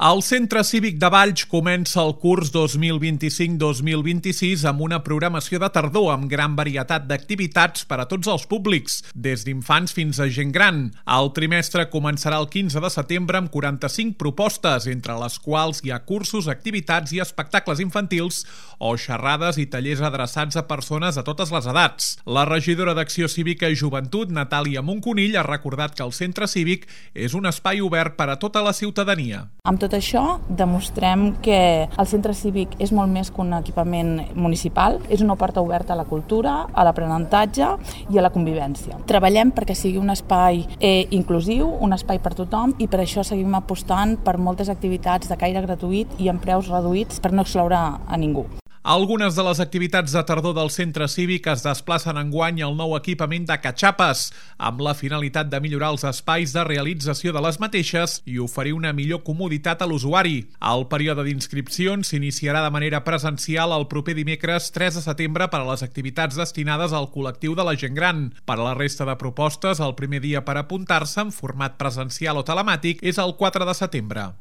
El Centre Cívic de Valls comença el curs 2025-2026 amb una programació de tardor amb gran varietat d'activitats per a tots els públics, des d'infants fins a gent gran. El trimestre començarà el 15 de setembre amb 45 propostes, entre les quals hi ha cursos, activitats i espectacles infantils o xerrades i tallers adreçats a persones de totes les edats. La regidora d'Acció Cívica i Joventut, Natàlia Monconill, ha recordat que el Centre Cívic és un espai obert per a tota la ciutadania. Amb tot això, demostrem que el Centre Cívic és molt més que un equipament municipal, és una porta oberta a la cultura, a l'aprenentatge i a la convivència. Treballem perquè sigui un espai inclusiu, un espai per tothom, i per això seguim apostant per moltes activitats de caire gratuït i amb preus reduïts per no excloure a ningú. Algunes de les activitats de tardor del Centre Cívic es desplacen enguany al nou equipament de catxapes, amb la finalitat de millorar els espais de realització de les mateixes i oferir una millor comoditat a l'usuari. El període d'inscripcions s'iniciarà de manera presencial el proper dimecres 3 de setembre per a les activitats destinades al col·lectiu de la gent gran. Per a la resta de propostes, el primer dia per apuntar-se en format presencial o telemàtic és el 4 de setembre.